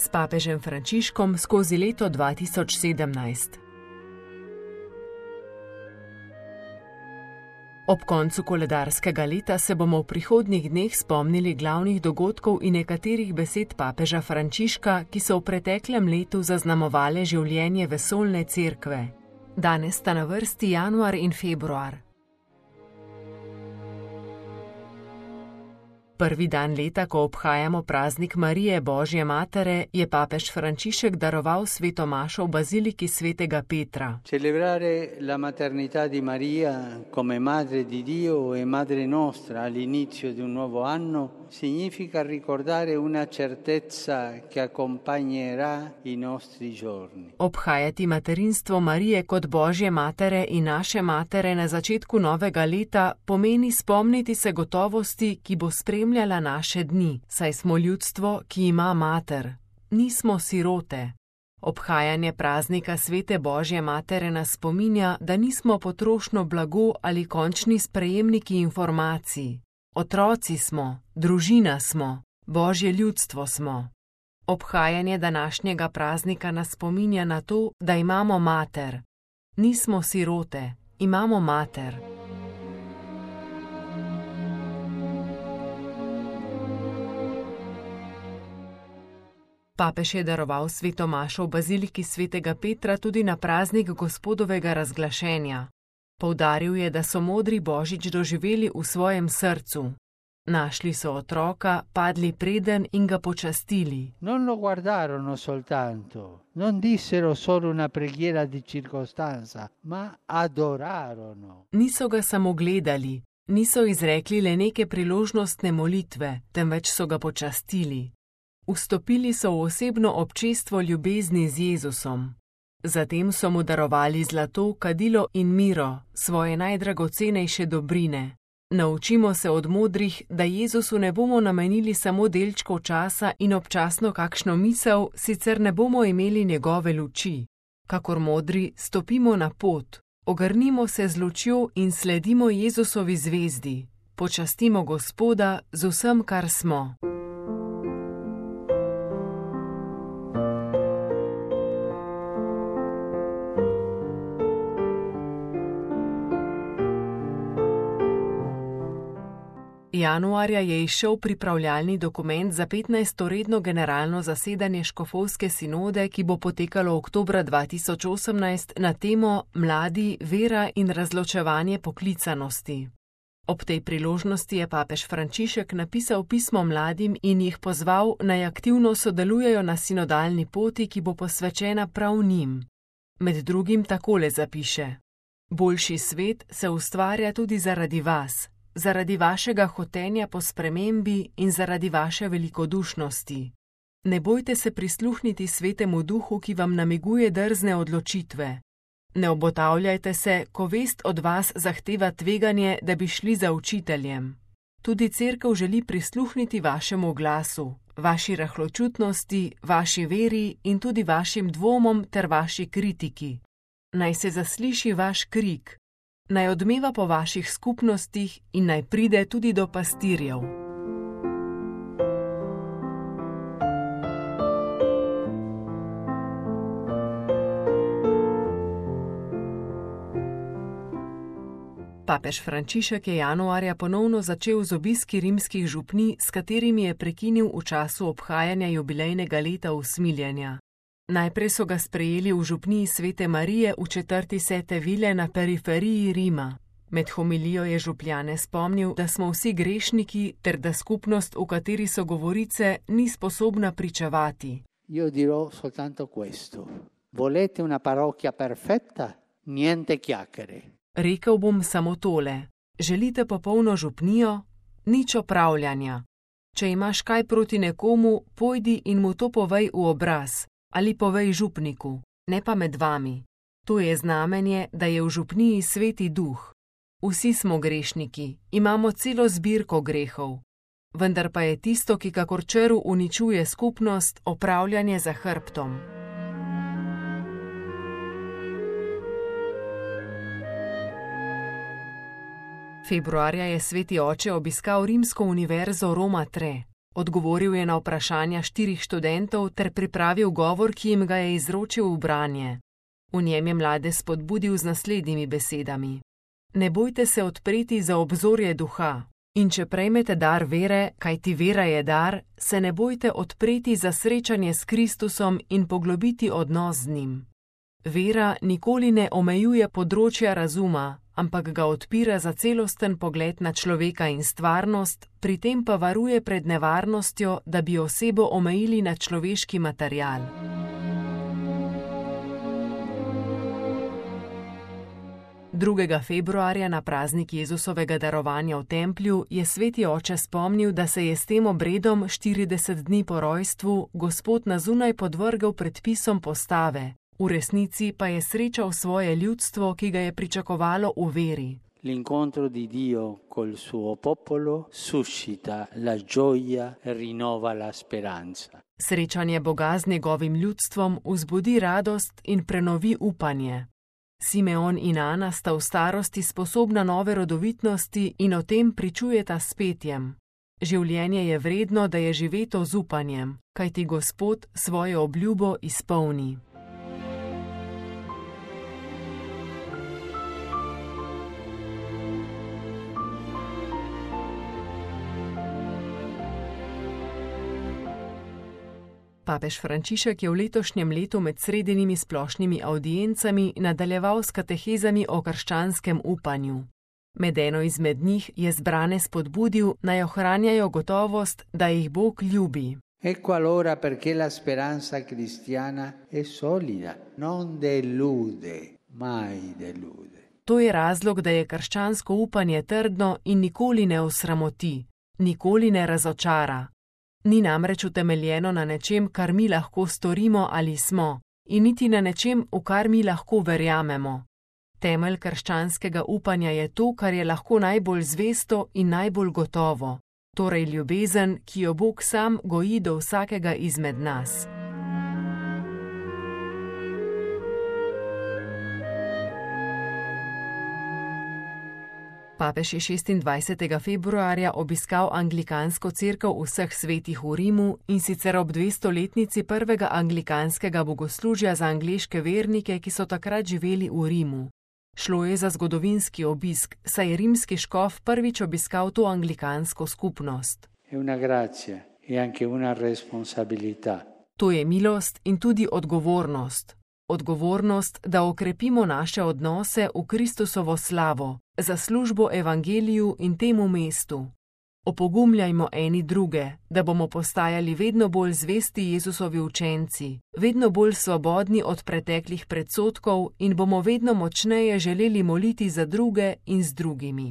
s papežem Frančiškom skozi leto 2017. Ob koncu koledarskega leta se bomo v prihodnjih dneh spomnili glavnih dogodkov in nekaterih besed papeža Frančiška, ki so v preteklem letu zaznamovale življenje vesoljne cerkve. Danes sta na vrsti januar in februar. Prvi dan leta, ko obhajamo praznik Marije Božje matere, je papež Frančišek daroval sveto mašo v baziliki svetega Petra. Celebrare la maternità di Maria come madre di Dio e madre nostra all'inizio di un nuovo anno significa ricordare una certezza che accompagnerà i nostri giorni. Obhajati materinstvo Marije kot Božje matere in naše matere na začetku novega leta pomeni spomniti se gotovosti, ki bo spremljala naše dni, saj smo ljudstvo, ki ima mater. Nismo sirote. Obhajanje praznika svete Božje matere nas spominja, da nismo potrošno blago ali končni sprejemniki informacij. Otroci smo, družina smo, Božje ljudstvo smo. Obhajanje današnjega praznika nas spominja na to, da imamo mater. Nismo sirote, imamo mater. Papež je daroval sveto mašo v baziliki svetega Petra tudi na praznik Gospodovega razglašenja. Poudaril je, da so modri Božič doživeli v svojem srcu. Našli so otroka, padli preden in ga počastili. Non lo guardarono soltanto, non dissero solo una preghiera di circostanza, ma adorarono. Niso ga samo gledali, niso izrekli le neke priložnostne molitve, temveč so ga počastili. Vstopili so v osebno občestvo ljubezni z Jezusom. Zatem so mu darovali zlato, kadilo in miro, svoje najdragocenejše dobrine. Naučimo se od modrih, da Jezusu ne bomo namenili samo delčkov časa in občasno kakšno misel, sicer ne bomo imeli njegove luči. Kakor modri, stopimo na pot, ogrnimo se z lučjo in sledimo Jezusovi zvezdi. Počastimo Gospoda z vsem, kar smo. Januarja je izšel pripravljalni dokument za 15. redno generalno zasedanje škofovske sinode, ki bo potekalo oktobra 2018 na temo Mladi, vera in razločevanje poklicanosti. Ob tej priložnosti je papež Frančišek napisal pismo mladim in jih pozval, naj aktivno sodelujejo na sinodalni poti, ki bo posvečena prav njim. Med drugim takole zapiše: Boljši svet se ustvarja tudi zaradi vas. Zaradi vašega hotenja po spremembi in zaradi vaše velikodušnosti. Ne bojte se prisluhniti svetemu duhu, ki vam namiguje drzne odločitve. Ne obotavljajte se, ko vest od vas zahteva tveganje, da bi šli za učiteljem. Tudi cerkev želi prisluhniti vašemu glasu, vaši rahločutnosti, vaši veri in tudi vašim dvomom ter vaši kritiki. Naj se zasliši vaš krik. Naj odmeva po vaših skupnostih in naj pride tudi do pastirjev. Papež Frančišek je januarja ponovno začel z obiski rimskih župnij, s katerimi je prekinil v času obhajanja jubilejnega leta usmiljenja. Najprej so ga sprejeli v župniji svete Marije v četrti Sete Vile na periferiji Rima. Med homilijo je župljane spomnil, da smo vsi grešniki ter da skupnost, v kateri so govorice, ni sposobna pričevati. Io dirò soltanto questo. Volete una parrocchia perfetta? Niente chiacchiere. Rekel bom samo tole. Želite popolno župnijo? Nič opravljanja. Če imaš kaj proti nekomu, pojdi in mu to povej v obraz. Ali povej župniku, ne pa med vami. To je znamenje, da je v župniji sveti duh. Vsi smo grešniki, imamo celo zbirko grehov. Vendar pa je tisto, ki kakor črv uničuje skupnost, opravljanje za hrbtom. Februarja je sveti oče obiskal rimsko univerzo Roma III. Odgovoril je na vprašanja 4 študentov ter pripravil govor, ki jim ga je izročil v branje. V njem je mlade spodbudil z naslednjimi besedami: Ne bojte se odpreti za obzorje duha, in če prejmete dar vere, kajti vera je dar, se ne bojte odpreti za srečanje s Kristusom in poglobiti odnos z njim. Vera nikoli ne omejuje področja razuma, ampak ga odpira za celosten pogled na človeka in stvarnost, pri tem pa varuje pred nevarnostjo, da bi osebo omejili na človeški material. Drugega februarja na praznik Jezusovega darovanja v templju je sveti oče spomnil, da se je s tem obredom 40 dni po rojstvu Gospod na zunaj podvrgel predpisom postave, v resnici pa je srečal svoje ljudstvo, ki ga je pričakovalo v veri. L'incontro di Dio col suo popolo suscita la gioia e rinnova la speranza. Srečanje Boga z njegovim ljudstvom vzbudi radost in prenovi upanje. Simeon in Ana sta v starosti sposobna nove rodovitnosti in o tem pričujeta s petjem. Življenje je vredno, da je živeto z upanjem, kajti Gospod svojo obljubo izpolni. Papež Frančišek je v letošnjem letu med sredinimi splošnimi avdiencami nadaljeval s katehezami o krščanskem upanju. Med eno izmed njih je zbrane spodbudil, naj ohranjajo gotovost, da jih Bog ljubi. Ecco allora perché la speranza cristiana è solida, non delude, mai delude. To je razlog, da je krščansko upanje trdno in nikoli ne osramoti, nikoli ne razočara. Ni namreč utemeljeno na nečem, kar mi lahko storimo ali smo, in niti na nečem, v kar mi lahko verjamemo. Temelj krščanskega upanja je to, kar je lahko najbolj zvesto in najbolj gotovo, torej ljubezen, ki jo Bog sam goji do vsakega izmed nas. Papež je 26. februarja obiskal anglikansko cerkev vseh svetih v Rimu, in sicer ob 200-letnici prvega anglikanskega bogoslužja za angleške vernike, ki so takrat živeli v Rimu. Šlo je za zgodovinski obisk, saj je rimski škof prvič obiskal to anglikansko skupnost. To je milost in tudi odgovornost. Odgovornost, da okrepimo naše odnose v Kristusovo slavo, za službo evangeliju in temu mestu. Opogumljajmo eni druge, da bomo postajali vedno bolj zvesti Jezusovi učenci, vedno bolj svobodni od preteklih predsodkov in bomo vedno močneje želeli moliti za druge in z drugimi.